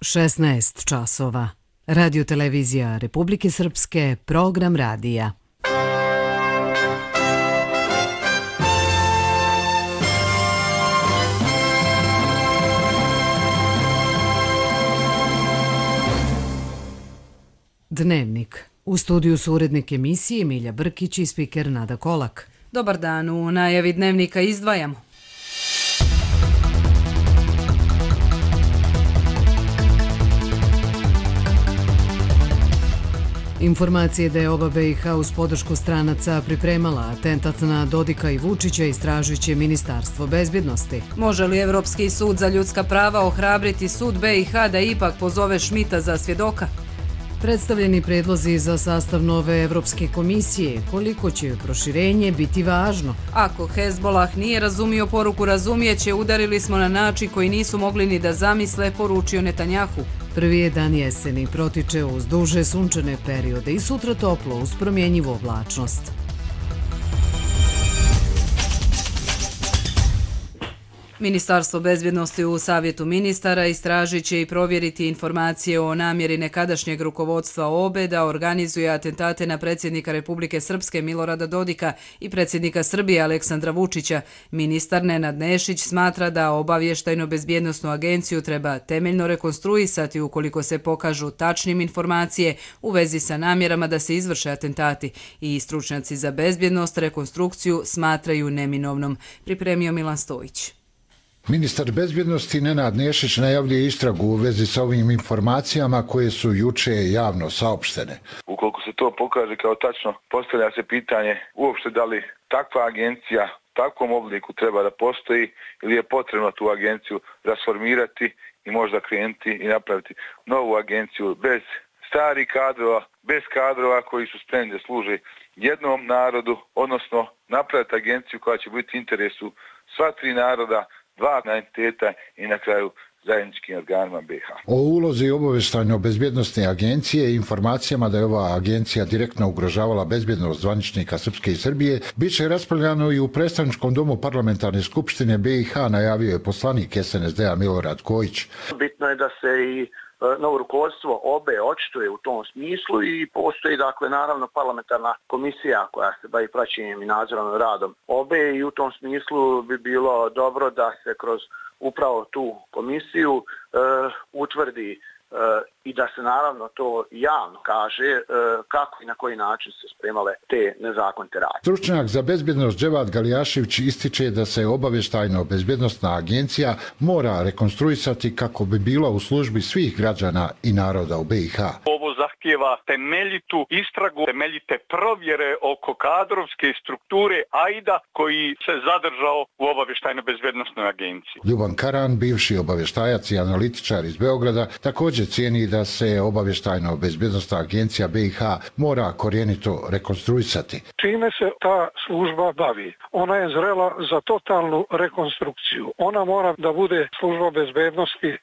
16 časova. Radio-televizija Republike Srpske, program radija. Dnevnik. U studiju su urednik emisije Milja Brkić i spiker Nada Kolak. Dobar dan, u najavi dnevnika izdvajamo. Informacije da je oba BiH uz podršku stranaca pripremala atentat na Dodika i Vučića istražujuće Ministarstvo bezbjednosti. Može li Evropski sud za ljudska prava ohrabriti sud BiH da ipak pozove Šmita za svjedoka? Predstavljeni predlozi za sastav nove Evropske komisije, koliko će proširenje biti važno? Ako Hezbolah nije razumio poruku razumijeće, udarili smo na način koji nisu mogli ni da zamisle, poručio Netanjahu. Prvi je dan jeseni, protiče uz duže sunčane periode i sutra toplo uz promjenjivu oblačnost. Ministarstvo bezbjednosti u Savjetu ministara istražit će i provjeriti informacije o namjeri nekadašnjeg rukovodstva OBE da organizuje atentate na predsjednika Republike Srpske Milorada Dodika i predsjednika Srbije Aleksandra Vučića. Ministar Nenad Nešić smatra da obavještajno-bezbjednosnu agenciju treba temeljno rekonstruisati ukoliko se pokažu tačnim informacije u vezi sa namjerama da se izvrše atentati i stručnjaci za bezbjednost rekonstrukciju smatraju neminovnom. Pripremio Milan Stojić. Ministar bezbjednosti Nenad Nešić najavljuje istragu u vezi sa ovim informacijama koje su juče javno saopštene. Ukoliko se to pokaže kao tačno, postavlja se pitanje uopšte da li takva agencija u takvom obliku treba da postoji ili je potrebno tu agenciju rasformirati i možda krenuti i napraviti novu agenciju bez starih kadrova, bez kadrova koji su spremni da služe jednom narodu, odnosno napraviti agenciju koja će biti u interesu sva tri naroda, dva entiteta i na kraju zajedničkim organima BiH. O ulozi obavještajno-bezbjednosne agencije i informacijama da je ova agencija direktno ugrožavala bezbjednost zvaničnika Srpske i Srbije biće raspravljano i u predstavničkom domu parlamentarne skupštine BiH, najavio je poslanik SNSD-a Milorad Kojić. Bitno je da se i novo rukovodstvo OBE očituje u tom smislu i postoji naravno parlamentarna komisija koja se bavi praćenjem i nadzorom radom OBE i u tom smislu bi bilo dobro da se kroz upravo tu komisiju utvrdi i da se naravno to javno kaže kako i na koji način se spremale te nezakonite radnje. Stručnjak za bezbjednost Dževad Galijašević ističe da se obavještajno-bezbjednosna agencija mora rekonstruisati kako bi bila u službi svih građana i naroda u BiH. Ovo zahtijeva temeljitu istragu, temeljite provjere oko kadrovske strukture AIDA koji se zadržao u obavještajno-bezbjednosnoj agenciji. Ljuban Karan, bivši obavještajac i analitičar iz Beograda, također cijeni da se obavještajno-bezbjednosna agencija BiH mora korijenito rekonstruisati. Čime se ta služba bavi? Ona je zrela za totalnu rekonstrukciju. Ona mora da bude služba bezbednosti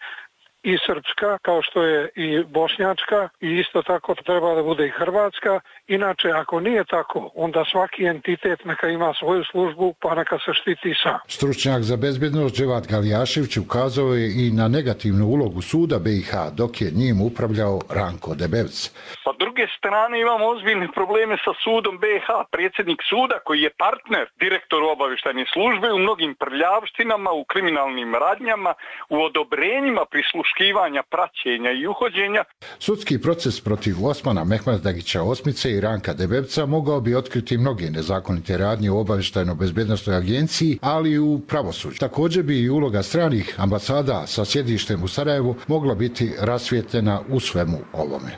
i srpska, kao što je i bošnjačka, i isto tako treba da bude i hrvatska. Inače, ako nije tako, onda svaki entitet neka ima svoju službu, pa neka se štiti sam. Stručnjak za bezbjednost Dževad Galijašević ukazao je i na negativnu ulogu suda BiH, dok je njim upravljao Ranko Debevc. Pa druge strane imamo ozbiljne probleme sa sudom BiH. Predsjednik suda koji je partner direktoru obavještajne službe u mnogim prljavštinama, u kriminalnim radnjama, u odobrenjima prisluškivanja, praćenja i uhođenja. Sudski proces protiv Osmana Mehmeddagića Osmice i Ranka Debevca mogao bi otkriti mnoge nezakonite radnje u obavještajno-bezbjednosnoj agenciji, ali i u pravosuđu. Također bi i uloga stranih ambasada sa sjedištem u Sarajevu mogla biti rasvijetljena u svemu ovome.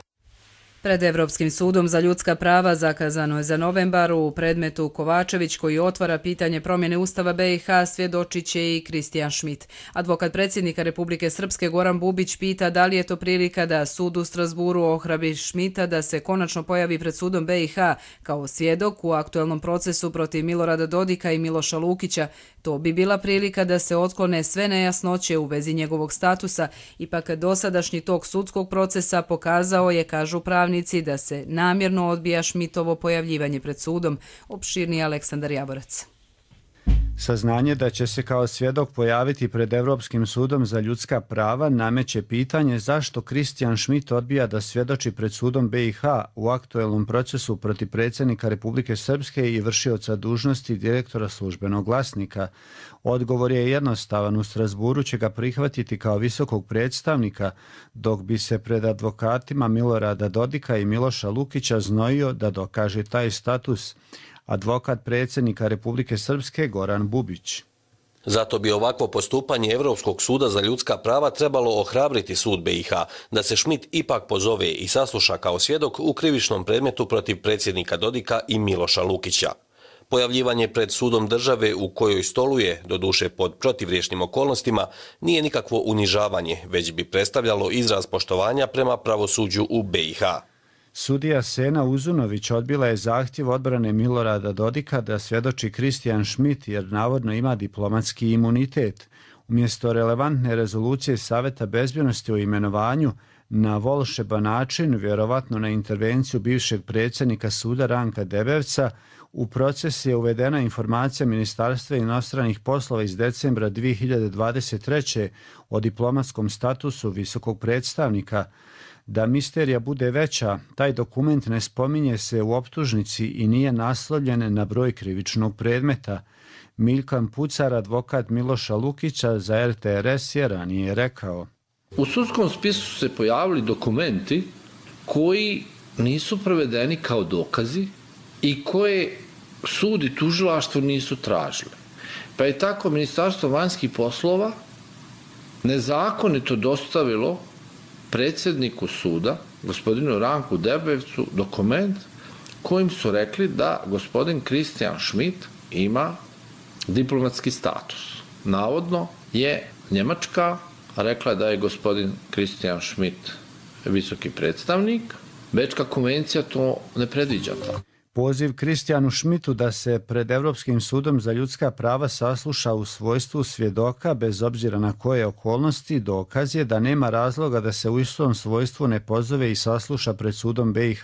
Pred Evropskim sudom za ljudska prava zakazano je za novembar u predmetu Kovačević koji otvara pitanje promjene Ustava BiH svjedočit će i Kristijan Šmit. Advokat predsjednika Republike Srpske Goran Bubić pita da li je to prilika da sud u Strasburu ohrabri Šmita da se konačno pojavi pred sudom BiH kao svjedok u aktuelnom procesu protiv Milorada Dodika i Miloša Lukića. To bi bila prilika da se otklone sve nejasnoće u vezi njegovog statusa. Ipak dosadašnji tok sudskog procesa pokazao je, kažu pravnici, da se namjerno odbija Šmitovo pojavljivanje pred sudom. Opširni Aleksandar Jaborac. Saznanje da će se kao svjedok pojaviti pred Evropskim sudom za ljudska prava nameće pitanje zašto Kristijan Šmit odbija da svjedoči pred sudom BiH u aktuelnom procesu protiv predsjednika Republike Srpske i vršioca dužnosti direktora Službenog glasnika. Odgovor je jednostavan, u Strasburu će ga prihvatiti kao visokog predstavnika, dok bi se pred advokatima Milorada Dodika i Miloša Lukića znojio da dokaže taj status. Advokat predsjednika Republike Srpske Goran Bubić. Zato bi ovakvo postupanje Evropskog suda za ljudska prava trebalo ohrabriti sud BiH, da se Šmit ipak pozove i sasluša kao svjedok u krivičnom predmetu protiv predsjednika Dodika i Miloša Lukića. Pojavljivanje pred sudom države u kojoj stoluje, doduše pod protivriječnim okolnostima, nije nikakvo unižavanje, već bi predstavljalo izraz poštovanja prema pravosuđu u BiH. Sudija Sena Uzunović odbila je zahtjev odbrane Milorada Dodika da svjedoči Kristijan Šmit jer navodno ima diplomatski imunitet. Umjesto relevantne rezolucije Saveta bezbjednosti o imenovanju, na volšeban način, vjerovatno na intervenciju bivšeg predsjednika suda Ranka Debevca, u proces je uvedena informacija Ministarstva inostranih poslova iz decembra 2023. o diplomatskom statusu visokog predstavnika. Da misterija bude veća, taj dokument ne spominje se u optužnici i nije naslovljen na broj krivičnog predmeta. Miljkan Pucar, advokat Miloša Lukića za RTRS, je ranije rekao: U sudskom spisu su se pojavili dokumenti koji nisu prevedeni kao dokazi i koje sud i tužilaštvo nisu tražili. Pa je tako Ministarstvo vanjskih poslova nezakonito dostavilo predsjedniku suda, gospodinu Ranku Debevcu, dokument kojim su rekli da gospodin Kristijan Šmit ima diplomatski status. Navodno je Njemačka rekla da je gospodin Kristijan Šmit visoki predstavnik. Bečka konvencija to ne predviđa. Poziv Kristijanu Šmitu da se pred Evropskim sudom za ljudska prava sasluša u svojstvu svjedoka, bez obzira na koje okolnosti, dokaz je da nema razloga da se u istom svojstvu ne pozove i sasluša pred sudom BiH.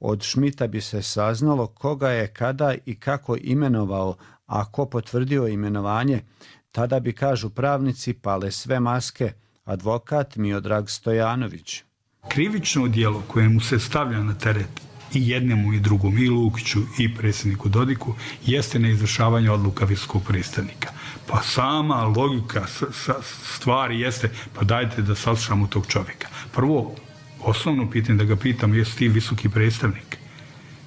Od Šmita bi se saznalo koga je, kada i kako imenovao, a ko potvrdio imenovanje. Tada bi, kažu pravnici, pale sve maske. Advokat Miodrag Stojanović. Krivično djelo koje mu se stavlja na teret i jednemu i drugom, i Lukiću i predsjedniku Dodiku, jeste neizvršavanje odluka visokog predstavnika. Pa sama logika stvari jeste, pa dajte da saslušamo tog čovjeka. Prvo, osnovno pitanje da ga pitam, jesi ti visoki predstavnik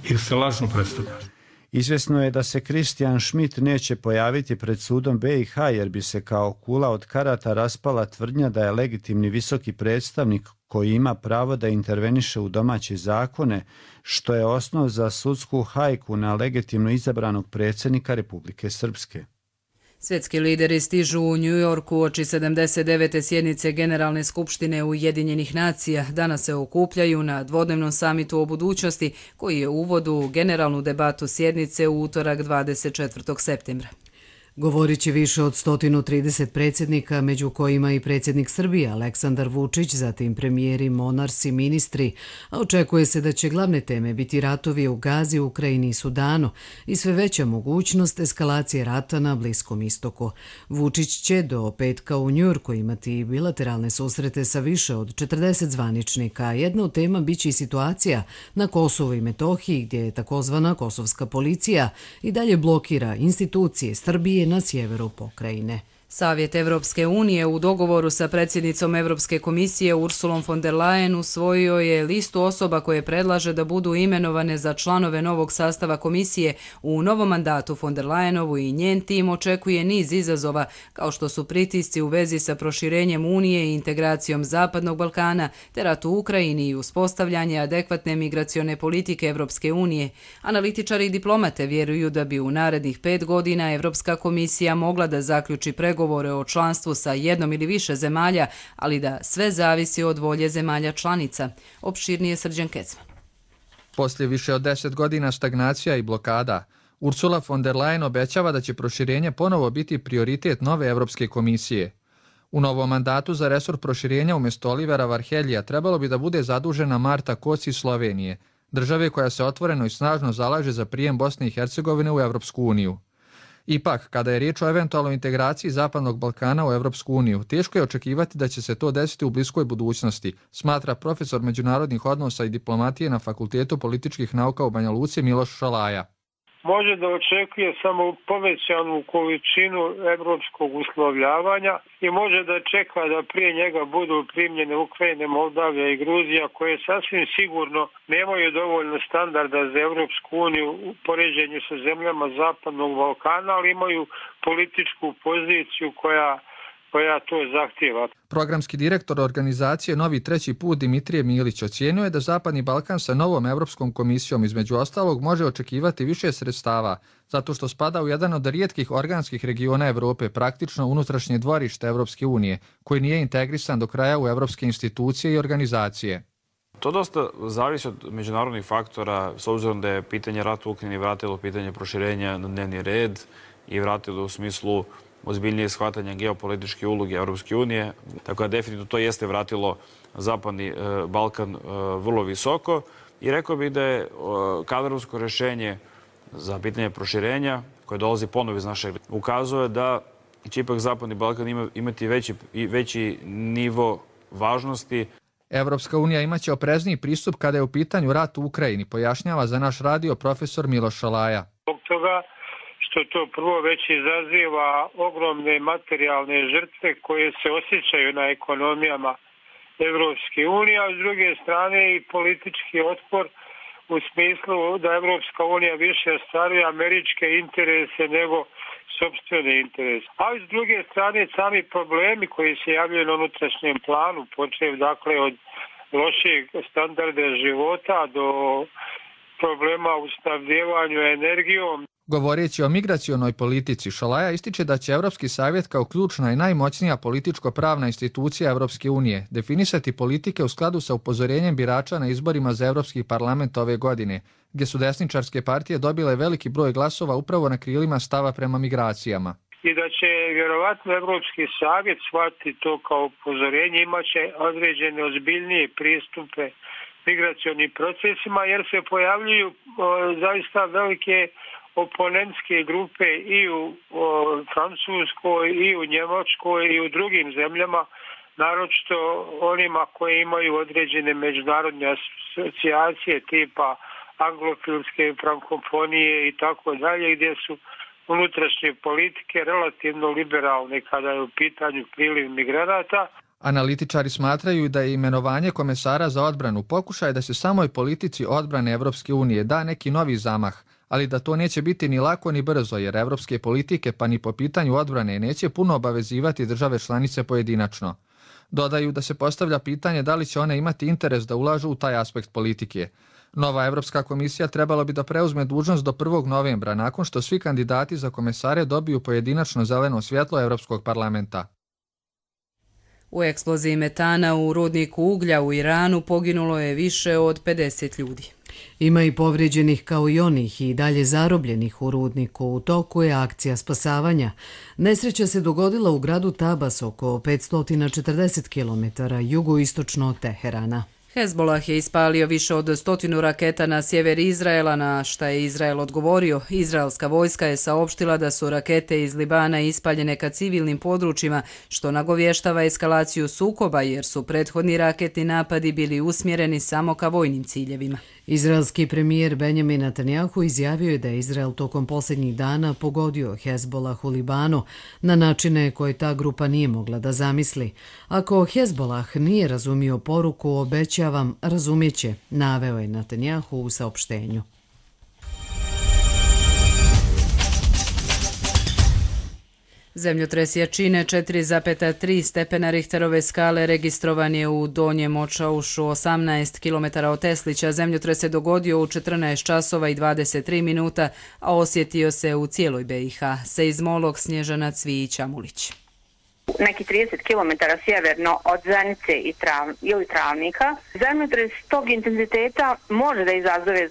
ili se lažno predstavljaš? Izvjesno je da se Kristijan Šmit neće pojaviti pred sudom BiH jer bi se kao kula od karata raspala tvrdnja da je legitimni visoki predstavnik koji ima pravo da interveniše u domaće zakone, što je osnov za sudsku hajku na legitimno izabranog predsjednika Republike Srpske. Svjetski lideri stižu u New Yorku uoči 79. sjednice Generalne skupštine Ujedinjenih nacija. Danas se okupljaju na dvodnevnom samitu o budućnosti koji je uvod u generalnu debatu sjednice u utorak 24. septembra. Govorit će više od 130 predsjednika, među kojima i predsjednik Srbije Aleksandar Vučić, zatim premijeri, monarsi, ministri, a očekuje se da će glavne teme biti ratovi u Gazi, Ukrajini i Sudanu i sve veća mogućnost eskalacije rata na Bliskom istoku. Vučić će do petka u Njujorku imati bilateralne susrete sa više od 40 zvaničnika. Jedna od tema biće i situacija na Kosovu i Metohiji, gdje je takozvana kosovska policija i dalje blokira institucije Srbije na sjeveru pokrajine. Savjet Evropske unije u dogovoru sa predsjednicom Evropske komisije Ursulom von der Leyen usvojio je listu osoba koje predlaže da budu imenovane za članove novog sastava komisije. U novom mandatu von der Leyenovu i njen tim očekuje niz izazova, kao što su pritisci u vezi sa proširenjem Unije i integracijom Zapadnog Balkana, te rat u Ukrajini i uspostavljanje adekvatne migracione politike Evropske unije. Analitičari i diplomate vjeruju da bi u narednih 5 godina Evropska komisija mogla da zaključi pregovore o članstvu sa jednom ili više zemalja, ali da sve zavisi od volje zemalja članica. Opširnije Srđan Kecman. Poslije više od 10 godina stagnacija i blokada, Ursula von der Leyen obećava da će proširenje ponovo biti prioritet nove Evropske komisije. U novom mandatu za resor proširenja umjesto Olivera Varheljija trebalo bi da bude zadužena Marta Kos iz Slovenije, države koja se otvoreno i snažno zalaže za prijem Bosne i Hercegovine u Evropsku uniju. Ipak, kada je riječ o eventualnoj integraciji Zapadnog Balkana u Europsku uniju, teško je očekivati da će se to desiti u bliskoj budućnosti, smatra profesor međunarodnih odnosa i diplomatije na Fakultetu političkih nauka u Banja Luci Miloš Šalaja. Može da očekuje samo povećanu količinu evropskog uslovljavanja i može da čeka da prije njega budu primljene Ukrajine, Moldavija i Gruzija, koje sasvim sigurno nemaju dovoljno standarda za Evropsku uniju u poređenju sa zemljama Zapadnog Balkana, ali imaju političku poziciju koja to zahtjeva. Programski direktor organizacije Novi treći put Dimitrije Milić ocjenjuje da Zapadni Balkan sa novom Europskom komisijom između ostalog može očekivati više sredstava, zato što spada u jedan od rijetkih organskih regiona Europe, praktično unutrašnje dvorište Europske unije, koji nije integrisan do kraja u europske institucije i organizacije. To dosta zavisi od međunarodnih faktora, s obzirom da je pitanje rata u Ukrajini vratilo pitanje proširenja na dnevni red i vratilo u smislu ozbiljnije shvatanja geopolitičke uloge Europske unije. Tako da definitivno to jeste vratilo Zapadni Balkan vrlo visoko i rekao bih da je kadrovsko rješenje za pitanje proširenja koje dolazi ponovo iz našeg ukazuje da će ipak Zapadni Balkan imati veći nivo važnosti. Europska unija imaće oprezniji pristup kada je u pitanju rat u Ukrajini, pojašnjava za naš radio profesor Miloš Šalaja. Zbog toga što to prvo već izaziva ogromne materijalne žrtve koje se osjećaju na ekonomijama Evropske unije, a s druge strane i politički otpor u smislu da Evropska unija više ostvaruje američke interese nego sopstvene interese. Ali s druge strane sami problemi koji se javljaju na unutrašnjem planu, počev dakle od lošeg standarda života do problema u snabdevanju energijom. Govoreći o migracionoj politici, Šalaja ističe da će Europski savjet kao ključna i najmoćnija političko-pravna institucija Europske unije definisati politike u skladu sa upozorenjem birača na izborima za Europski parlament ove godine, gdje su desničarske partije dobile veliki broj glasova upravo na krilima stava prema migracijama. I da će vjerovatno Europski savjet shvatiti to kao upozorenje, imaće određene ozbiljnije pristupe migracionim procesima, jer se pojavljuju zaista velike oponentske grupe i u Francuskoj, i u Njemačkoj, i u drugim zemljama, naročito onima koji imaju određene međunarodne asocijacije tipa anglofilske frankofonije i tako dalje, gdje su unutrašnje politike relativno liberalne kada je u pitanju priliv migranata. Analitičari smatraju da je imenovanje komesara za odbranu pokušaj da se samoj politici odbrane Evropske unije da neki novi zamah, ali da to neće biti ni lako ni brzo, jer evropske politike pa ni po pitanju odbrane neće puno obavezivati države članice pojedinačno. Dodaju da se postavlja pitanje da li će one imati interes da ulažu u taj aspekt politike. Nova Evropska komisija trebala bi da preuzme dužnost do 1. novembra, nakon što svi kandidati za komesare dobiju pojedinačno zeleno svjetlo Evropskog parlamenta. U eksploziji metana u rudniku uglja u Iranu poginulo je više od 50 ljudi. Ima i povrijeđenih kao i onih i dalje zarobljenih u rudniku. U toku je akcija spasavanja. Nesreća se dogodila u gradu Tabas oko 540 km jugoistočno od Teherana. Hezbollah je ispalio više od 100 raketa na sjever Izraela, na šta je Izrael odgovorio. Izraelska vojska je saopštila da su rakete iz Libana ispaljene ka civilnim područjima, što nagovještava eskalaciju sukoba, jer su prethodni raketni napadi bili usmjereni samo ka vojnim ciljevima. Izraelski premijer Benjamin Netanjahu izjavio je da je Izrael tokom posljednjih dana pogodio Hezbollah u Libanu na načine koje ta grupa nije mogla da zamisli. Ako Hezbollah nije razumio poruku, obećavam, razumjeće, naveo je Netanjahu u saopštenju. Zemljotres jačine 4,3 stepena Richterove skale registrovan je u Donjem Očaušu 18 km od Teslića. Zemljotres se dogodio u 14 časova i 23 minuta, a osjetio se u cijeloj BiH. Seizmolog Snježana Cvijić-Amulić. Neki 30 km sjeverno od Zenice ili Travnika. Zemljotres tog intenziteta može da izazove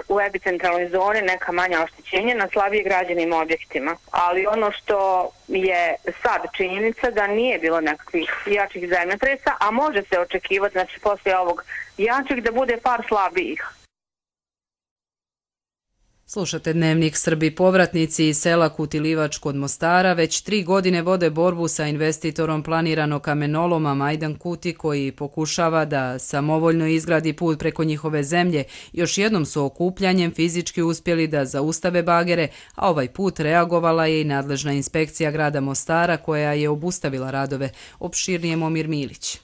u epicentralnoj zoni neka manja oštećenja na slabije građenim objektima. Ali ono što je sad činjenica da nije bilo nekakvih jačih zemljotresa, a može se očekivati poslije ovog jačih da bude par slabijih. Slušate Dnevnik. Srbi povratnici iz sela Kuti-Livač kod Mostara već 3 godine vode borbu sa investitorom planiranog kamenoloma Majdan Kuti, koji pokušava da samovoljno izgradi put preko njihove zemlje. Još jednom su okupljanjem fizički uspjeli da zaustave bagere, a ovaj put reagovala je i nadležna inspekcija grada Mostara koja je obustavila radove. Opširnije Momir Milić.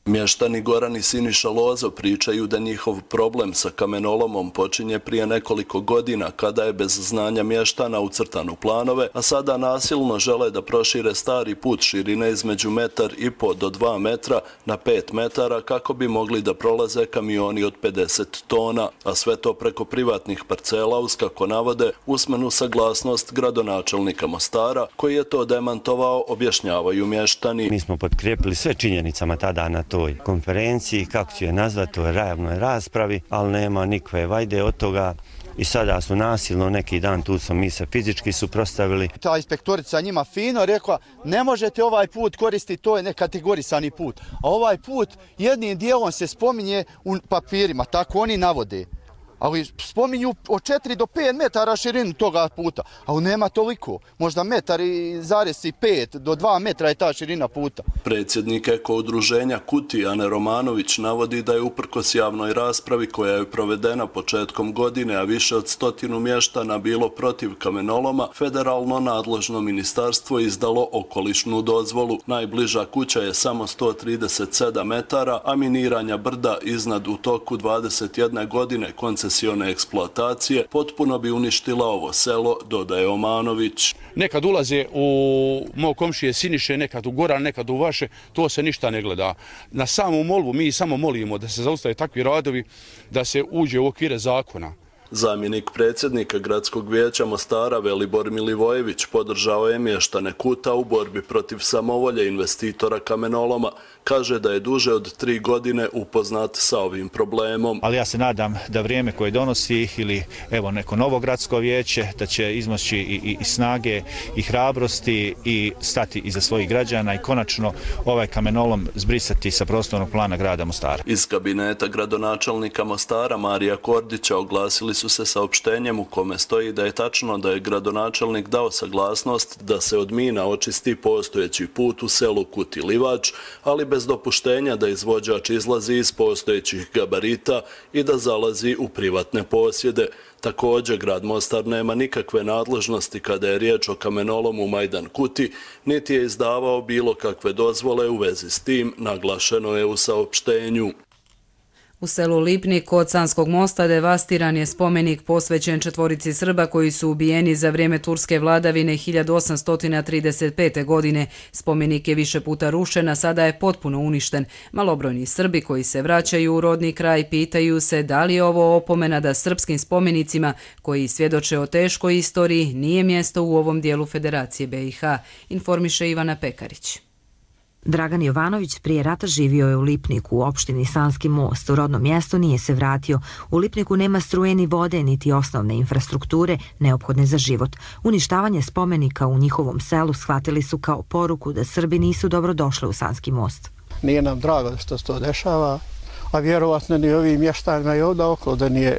Mještani Goran i Siniša Lozo pričaju da njihov problem sa kamenolomom počinje prije nekoliko godina kada je bez znanja mještana ucrtan u planove, a sada nasilno žele da prošire stari put širine između 1,5 do 2 metra na 5 metara kako bi mogli da prolaze kamioni od 50 tona, a sve to preko privatnih parcela uz, kako navode, usmenu saglasnost gradonačelnika Mostara, koji je to demantovao, objašnjavaju mještani. Mi smo potkrijepili sve činjenicama tada na toj konferenciji, kako ću je nazvati, u javnoj raspravi, ali nema nikakve vajde od toga. I sada su nasilno neki dan, tu smo mi se fizički suprotstavili. Ta inspektorica njima fino rekla, ne možete ovaj put koristiti, to je nekategorisani put. A ovaj put jednim dijelom se spominje u papirima, tako oni navode. Ali spominju od 4 do 5 metara širinu toga puta, ali nema toliko. Možda 1,5 do 2 metra je ta širina puta. Predsjednik Eko udruženja Kuti, Ane Romanović, navodi da je uprkos javnoj raspravi koja je provedena početkom godine, a više od 100 mještana bilo protiv kamenoloma, federalno nadležno ministarstvo izdalo okolišnu dozvolu. Najbliža kuća je samo 137 metara, a miniranja brda iznad u toku 21 godine koncesione eksploatacije potpuno bi uništila ovo selo, dodaje Omanović. Nekad ulaze u mog komšije Siniše, nekad u Goran, nekad u vaše, to se ništa ne gleda. Na samu molbu mi samo molimo da se zaustave takvi radovi, da se uđe u okvire zakona. Zamjenik predsjednika gradskog vijeća Mostara Velibor Milivojević podržao je mještane Kuta u borbi protiv samovolje investitora kamenoloma. Kaže da je duže od 3 godine upoznat sa ovim problemom. Ali ja se nadam da vrijeme koje donosi ili evo neko novo gradsko vijeće da će izmoći i snage i hrabrosti i stati iza svojih građana i konačno ovaj kamenolom zbrisati sa prostornog plana grada Mostara. Iz kabineta gradonačelnika Mostara Marija Kordića oglasili su se saopštenjem u kome stoji da je tačno da je gradonačelnik dao saglasnost da se od mina očisti postojeći put u selu Kuti-Livač, ali bez dopuštenja da izvođač izlazi iz postojećih gabarita i da zalazi u privatne posjede. Također, grad Mostar nema nikakve nadležnosti kada je riječ o kamenolomu Majdan Kuti, niti je izdavao bilo kakve dozvole u vezi s tim, naglašeno je u saopštenju. U selu Lipnik kod Sanskog mosta devastiran je spomenik posvećen 4 Srba koji su ubijeni za vrijeme turske vladavine 1835. godine. Spomenik je više puta rušen, a sada je potpuno uništen. Malobrojni Srbi koji se vraćaju u rodni kraj pitaju se da li je ovo opomena da srpskim spomenicima koji svjedoče o teškoj istoriji nije mjesto u ovom dijelu Federacije BiH, informiše Ivana Pekarić. Dragan Jovanović prije rata živio je u Lipniku, u opštini Sanski most. U rodno mjesto nije se vratio. U Lipniku nema struje ni vode, niti osnovne infrastrukture neophodne za život. Uništavanje spomenika u njihovom selu shvatili su kao poruku da Srbi nisu dobro došli u Sanski most. Nije nam drago što se to dešava, a vjerovatno ni ovim mještanima i ovdje oko da nije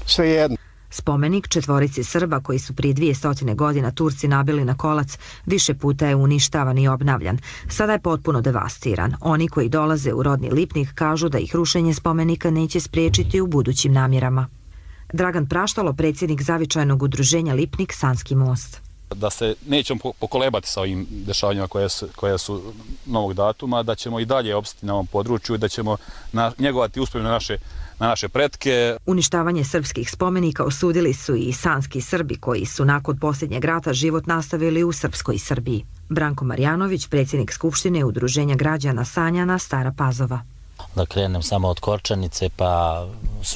sve jedno. Spomenik 4 Srba koji su prije 200 godina Turci nabili na kolac više puta je uništavan i obnavljan. Sada je potpuno devastiran. Oni koji dolaze u rodni Lipnik kažu da ih rušenje spomenika neće spriječiti u budućim namjerama. Dragan Praštalo, predsjednik zavičajnog udruženja Lipnik Sanski most. Da se nećemo pokolebati sa ovim dešavanjima koja su novog datuma, da ćemo i dalje opstati na ovom području, da ćemo njegovati uspomenu na naše pretke. Uništavanje srpskih spomenika osudili su i sanski Srbi koji su nakon posljednjeg rata život nastavili u srpskoj Srbiji. Branko Marjanović, predsjednik Skupštine udruženja građana Sanjana, Stara Pazova. Da krenem samo od Korčanice pa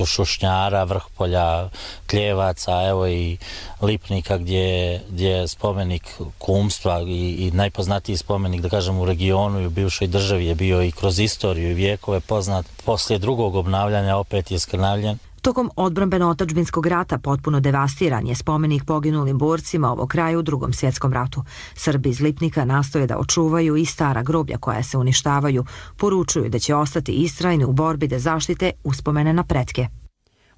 Šušnjara, Vrhpolja, Kljevaca, evo i Lipnika gdje je spomenik kumstva i najpoznatiji spomenik, da kažem, u regionu i u bivšoj državi je bio i kroz istoriju i vijekove poznat. Poslije drugog obnavljanja opet je skrnavljen. Tokom odbrambeno-otadžbinskog rata potpuno devastiran je spomenik poginulim borcima ovog kraja u Drugom svjetskom ratu. Srbi iz Lipnika nastoje da očuvaju i stara groblja koja se uništavaju. Poručuju da će ostati istrajni u borbi da zaštite uspomene na pretke.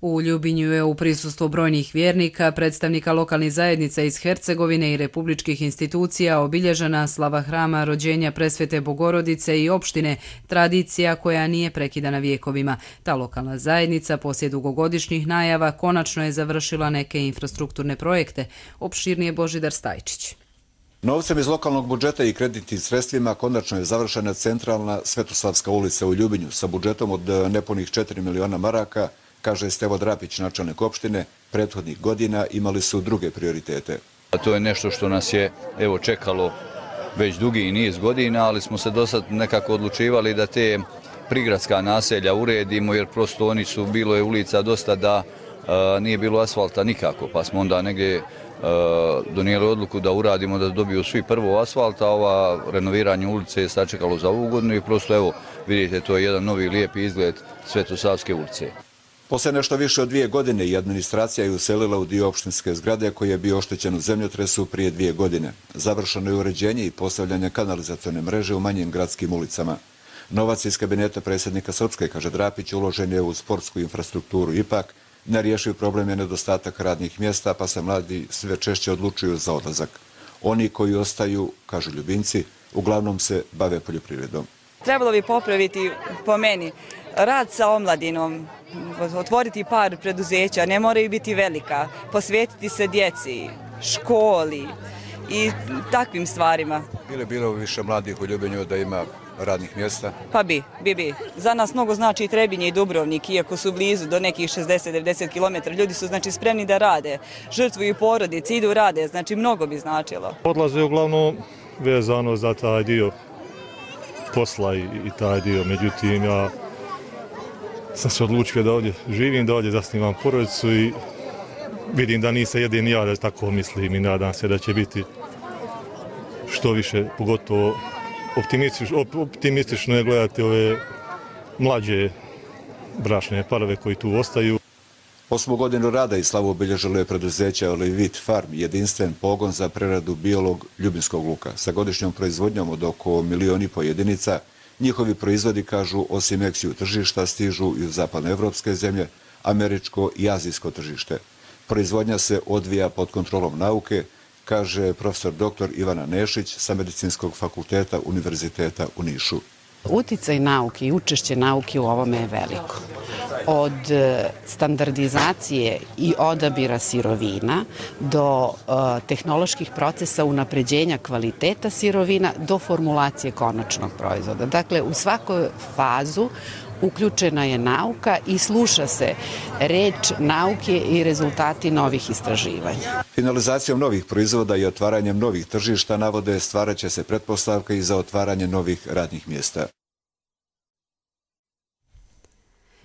U Ljubinju je u prisustvu brojnih vjernika, predstavnika lokalnih zajednica iz Hercegovine i republičkih institucija obilježena slava hrama rođenja Presvete Bogorodice i opštine, tradicija koja nije prekidana vjekovima. Ta lokalna zajednica poslije dugogodišnjih najava konačno je završila neke infrastrukturne projekte. Opširnije Božidar Stajčić. Novcem iz lokalnog budžeta i kreditnim sredstvima konačno je završena centralna Svetoslavska ulica u Ljubinju sa budžetom od nepunih 4 miliona maraka, kaže Stevo Drapić, načelnik opštine. Prethodnih godina imali su druge prioritete. To je nešto što nas je čekalo već dugi niz godina, ali smo se do sad nekako odlučivali da te prigradska naselja uredimo, jer prosto oni su, bilo je ulica dosta da nije bilo asfalta nikako, pa smo onda negdje donijeli odluku da uradimo, da dobiju svi prvo asfalta, ova renoviranje ulice je sačekalo za ovu godinu i prosto vidite, to je jedan novi lijepi izgled Svetosavske ulice. Poslije nešto više od 2 godine i administracija je uselila u dio opštinske zgrade koji je bio oštećen u zemljotresu prije 2 godine. Završeno je uređenje i postavljanje kanalizacione mreže u manjim gradskim ulicama. Novac iz kabineta predsjednika Srpske, kaže Drapić, uložen je u sportsku infrastrukturu. Ipak, nerješiv problem je nedostatak radnih mjesta, pa se mladi sve češće odlučuju za odlazak. Oni koji ostaju, kažu Ljubinci, uglavnom se bave poljoprivredom. Trebalo bi popraviti, po meni, rad sa omladinom, otvoriti par preduzeća, ne moraju biti velika, posvetiti se djeci, školi i takvim stvarima. Bilo više mladih u Ljubinju da ima radnih mjesta? Pa bi. Za nas mnogo znači i Trebinje i Dubrovnik, iako su blizu do nekih 60-90 km. Ljudi su spremni da rade, žrtvuju porodice, idu rade, znači mnogo bi značilo. Odlaze uglavnom vezano za taj dio posla i taj dio, međutim ja sam se odlučio da ovdje živim, da ovdje zasnivam porodicu i vidim da nisam jedini ja da tako mislim i nadam se da će biti što više, pogotovo optimistično je gledati ove mlađe bračne parove koji tu ostaju. 8. godinu rada i slavu obilježilo je preduzeće Olivit Farm, jedinstven pogon za preradu bijelog ljubinskog luka. Sa godišnjom proizvodnjom od oko 1,5 miliona jedinica, njihovi proizvodi, kažu, osim eksiju tržišta, stižu i u zapadnoevropske zemlje, američko i azijsko tržište. Proizvodnja se odvija pod kontrolom nauke, kaže profesor dr. Ivana Nešić sa Medicinskog fakulteta Univerziteta u Nišu. Uticaj nauke i učešće nauke u ovome je veliko. Od standardizacije i odabira sirovina do tehnoloških procesa unapređenja kvaliteta sirovina do formulacije konačnog proizvoda. Dakle, u svakoj fazu uključena je nauka i sluša se reč nauke i rezultati novih istraživanja. Finalizacijom novih proizvoda i otvaranjem novih tržišta, navode, stvarat će se pretpostavka i za otvaranje novih radnih mjesta.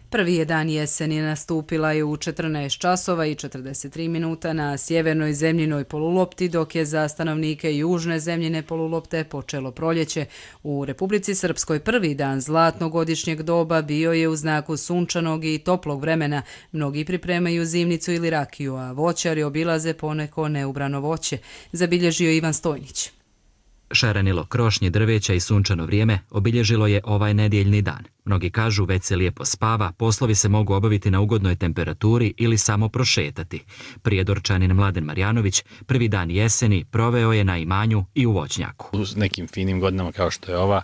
Prvi je dan jeseni, nastupila je u 14 časova i 43 minuta na sjevernoj zemljinoj polulopti, dok je za stanovnike južne zemljine polulopte počelo proljeće. U Republici Srpskoj prvi dan zlatnogodišnjeg doba bio je u znaku sunčanog i toplog vremena. Mnogi pripremaju zimnicu ili rakiju, a voćari obilaze poneko neubrano voće, zabilježio Ivan Stojnić. Šarenilo krošnje, drveća i sunčano vrijeme obilježilo je ovaj nedjeljni dan. Mnogi kažu već se lijepo spava, poslovi se mogu obaviti na ugodnoj temperaturi ili samo prošetati. Prijedorčanin Mladen Marjanović prvi dan jeseni proveo je na imanju i u voćnjaku. U nekim finim godinama kao što je ova,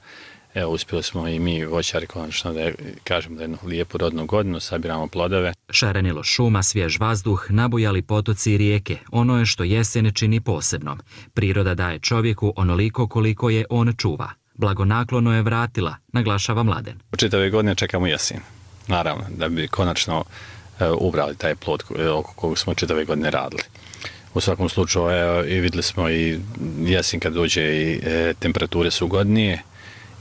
uspjeli smo i mi voćari konačno da kažemo da jednu lijepu rodnu godinu, sabiramo plodove. Šarenilo šuma, svjež vazduh, nabujali potoci i rijeke, ono je što jesen čini posebnom. Priroda daje čovjeku onoliko koliko je on čuva. Blagonaklono je vratila, naglašava Mladen. U čitave godine čekamo jesen, naravno, da bi konačno ubrali taj plod oko kog smo čitave godine radili. U svakom slučaju i vidjeli smo i jesen kad dođe i temperature su ugodnije.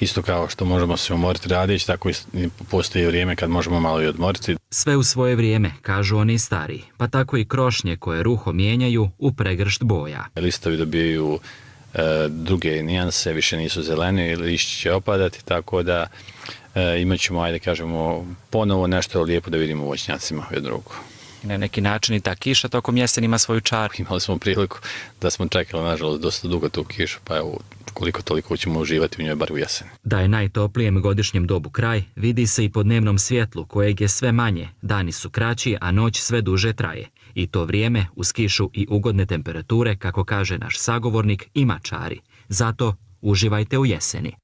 Isto kao što možemo se umoriti radići, tako i postoji vrijeme kad možemo malo i odmoriti. Sve u svoje vrijeme, kažu oni stariji, pa tako i krošnje koje ruho mijenjaju u pregršt boja. Listovi dobijaju druge nijanse, više nisu zeleni, lišći će opadati, tako da imat ćemo, ajde kažemo, ponovo nešto lijepo da vidimo u voćnjacima u drugu. Na neki način i ta kiša tokom jeseni ima svoju čaru. Imali smo priliku da smo čekali, nažalost, dosta dugo tu kišu, pa evo, koliko toliko ćemo uživati u njoj bar u jeseni. Da je najtoplijem godišnjem dobu kraj, vidi se i po dnevnom svjetlu kojeg je sve manje, dani su kraći, a noć sve duže traje. I to vrijeme, uz kišu i ugodne temperature, kako kaže naš sagovornik, ima čari. Zato uživajte u jeseni.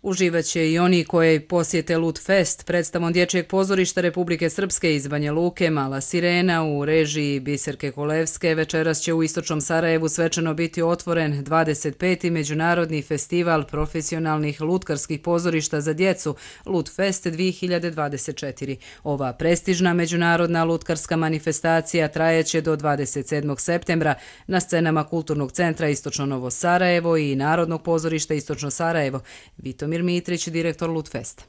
Uživaće i oni koji posjete Lut Fest, predstavom Dječjeg pozorišta Republike Srpske iz Banja Luke, Mala sirena u režiji Biserke Kolevske. Večeras će u istočnom Sarajevu svečano biti otvoren 25. Međunarodni festival profesionalnih lutkarskih pozorišta za djecu Lut Fest 2024. Ova prestižna međunarodna lutkarska manifestacija trajeće do 27. septembra na scenama Kulturnog centra Istočno Novo Sarajevo i Narodnog pozorišta Istočno Sarajevo. Vitomir Mitrić, direktor Lutfesta.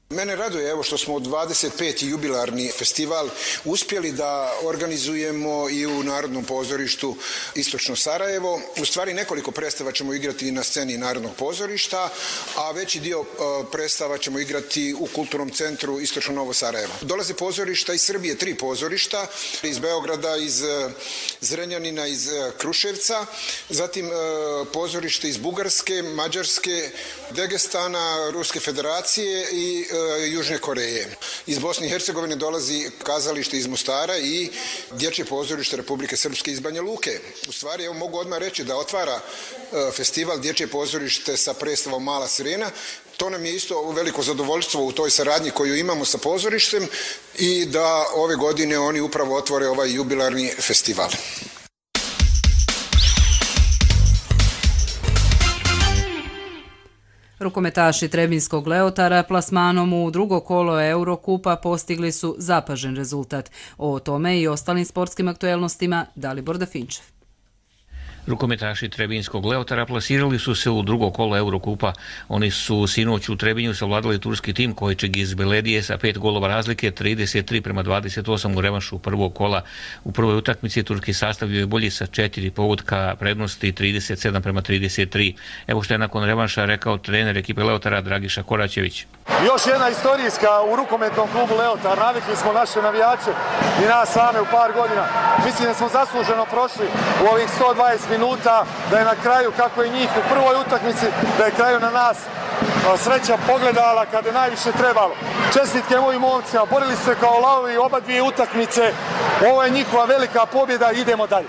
Mene raduje evo što smo 25. jubilarni festival uspjeli da organizujemo i u Narodnom pozorištu Istočno Sarajevo. U stvari nekoliko predstava ćemo igrati na sceni Narodnog pozorišta, a veći dio predstava ćemo igrati u Kulturnom centru Istočno Novo Sarajevo. Dolaze pozorišta iz Srbije, 3 pozorišta, iz Beograda, iz Zrenjanina, iz Kruševca, zatim pozorište iz Bugarske, Mađarske, Dagestana, Ruske federacije i Južne Koreje. Iz Bosne i Hercegovine dolazi kazalište iz Mostara i Dječje pozorište Republike Srpske iz Banja Luke. U stvari, evo mogu odmah reći da otvara festival Dječje pozorište sa predstavom Mala sirena. To nam je isto veliko zadovoljstvo u toj saradnji koju imamo sa pozorištem i da ove godine oni upravo otvore ovaj jubilarni festival. Rukometaši Trebinskog Leotara plasmanom u drugo kolo Eurokupa postigli su zapažen rezultat. O tome i ostalim sportskim aktuelnostima Dalibor Dafinčev. Rukometaši Trebinskog Leotara plasirali su se u drugo kolo Eurokupa. Oni su sinoć u Trebinju savladali turski tim Kojčeg iz Beledije sa 5 golova razlike, 33-28 u revanšu prvog kola. U prvoj utakmici turski sastav je bolji sa 4 pogotka prednosti, 37-33. Evo što je nakon revanša rekao trener ekipe Leotara Dragiša Koraćević. Još jedna istorijska u rukometnom klubu Leotar. Navikli smo naše navijače i nas same u par godina. Mislim da smo zasluženo prošli u ovih 120 minuta, da je na kraju, kako je njih u prvoj utakmici, da je kraju na nas sreća pogledala kada je najviše trebalo. Čestitke mojim momcima, borili su se kao lavovi oba dvije utakmice. Ovo je njihova velika pobjeda, idemo dalje.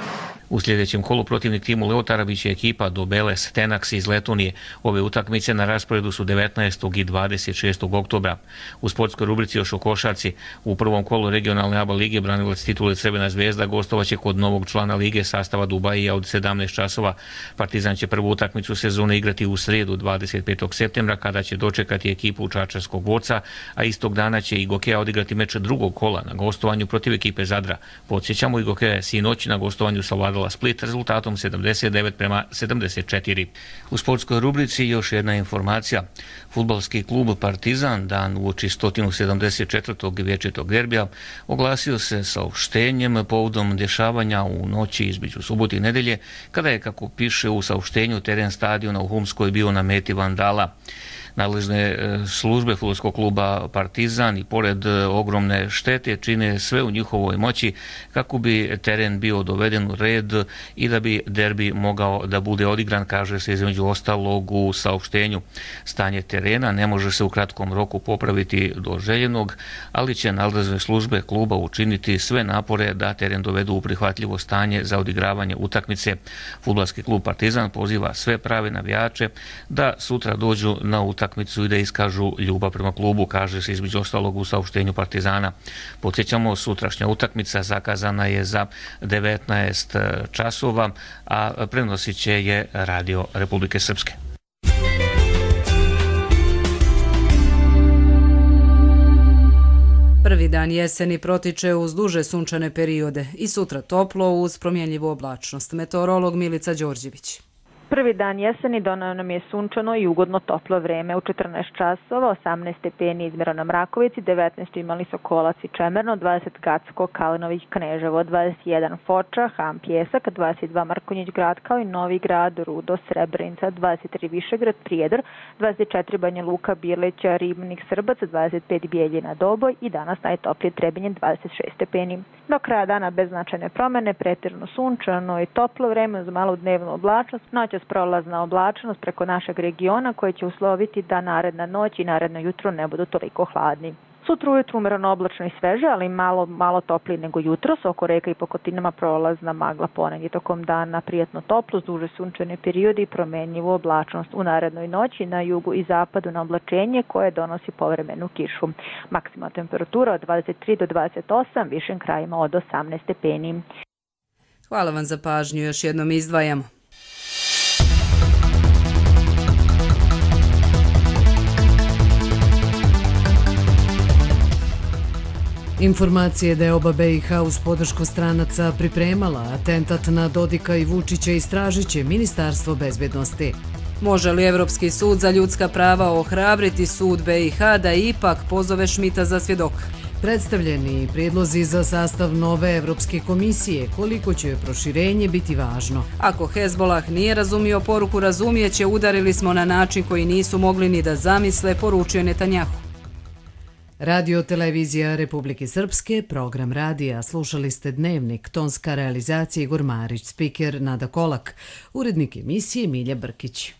U sljedećem kolu protivnik timu Leotara biće ekipa Dobeles Tenax iz Letonije. Ove utakmice na rasporedu su 19. i 26. oktobra. U sportskoj rubrici još o košarci. U prvom kolu regionalne ABA lige branilac titule Crvena zvezda gostovaće kod novog člana lige sastava Dubajija od 17 časova. Partizan će prvu utakmicu sezone igrati u srijedu 25. septembra kada će dočekati ekipu Čačarskog Goca, a istog dana će i Gokeja odigrati meč drugog kola na gostovanju protiv ekipe Zadra. Podsjećamo, i Gokeja je sinoć na gostovanju savladala Split rezultatom 79-74. U sportskoj rubrici još jedna informacija. Fudbalski klub Partizan dan uoči 174. vječitog derbija oglasio se saopštenjem povodom dešavanja u noći između subote i nedelje, kada je, kako piše u saopštenju, teren stadiona u Humskoj bio na meti vandala. Nadležne službe fudbalskog kluba Partizan i pored ogromne štete čine sve u njihovoj moći kako bi teren bio doveden u red i da bi derbi mogao da bude odigran, kaže se između ostalog u saopštenju. Stanje terena ne može se u kratkom roku popraviti do željenog, ali će nadležne službe kluba učiniti sve napore da teren dovedu u prihvatljivo stanje za odigravanje utakmice. Fudbalski klub Partizan poziva sve prave navijače da sutra dođu na utakmicu i da iskažu ljubav prema klubu, kaže se između ostalog u saopštenju Partizana. Podsjećamo, sutrašnja utakmica zakazana je za 19 časova, a prenosit će je Radio Republike Srpske. Prvi dan jeseni protiče uz duže sunčane periode i sutra toplo uz promjenljivu oblačnost. Meteorolog Milica Đorđević. Prvi dan jeseni donao nam je sunčano i ugodno toplo vreme. U 14 časova 18 stepeni izmjereno na Mrakovici, 19 imali Sokolac i Čemerno, 20 Gacko, Kalinović, Kneževo, 21 Foča, Ham, Pjesak, 22 Markonjić grad kao i Novi grad, Rudo, Srebrenica, 23 Višegrad, Prijedor, 24 Banja Luka, Birleća, Ribnik, Srbac, 25 Bijeljina, Doboj i danas najtoplije Trebinje 26 stepeni. Do kraja dana bez značajne promjene, pretežno sunčano i toplo vreme uz malu dnevnu oblačnost, noćas prolazna oblačnost preko našeg regiona koje će usloviti da naredna noć i naredno jutro ne budu toliko hladni. Sutra ujutru umjereno oblačno i sveže, ali malo toplije nego jutros. Oko reka i po kotinama prolazna magla, ponegdje tokom dana prijatno toplo, duže sunčane periode i promjenjivu oblačnost. U narednoj noći na jugu i zapadu na oblačenje koje donosi povremenu kišu. Maksimalna temperatura od 23 do 28, višim krajima od 18 stepeni. Hvala vam za pažnju, još jednom izdvajamo. Informacije da je oba BiH uz podršku stranaca pripremala atentat na Dodika i Vučića istražit će Ministarstvo bezbjednosti. Može li Evropski sud za ljudska prava ohrabriti sud BiH da ipak pozove Šmita za svjedoka? Predstavljeni prijedlozi za sastav nove Evropske komisije, koliko će proširenje biti važno. Ako Hezbolah nije razumio poruku razumijeće, udarili smo na način koji nisu mogli ni da zamisle, poručio Netanjahu. Radio Televizija Republike Srpske, program radija, slušali ste Dnevnik, tonska realizacija Igor Marić, spiker Nada Kolak, urednik emisije Milja Brkić.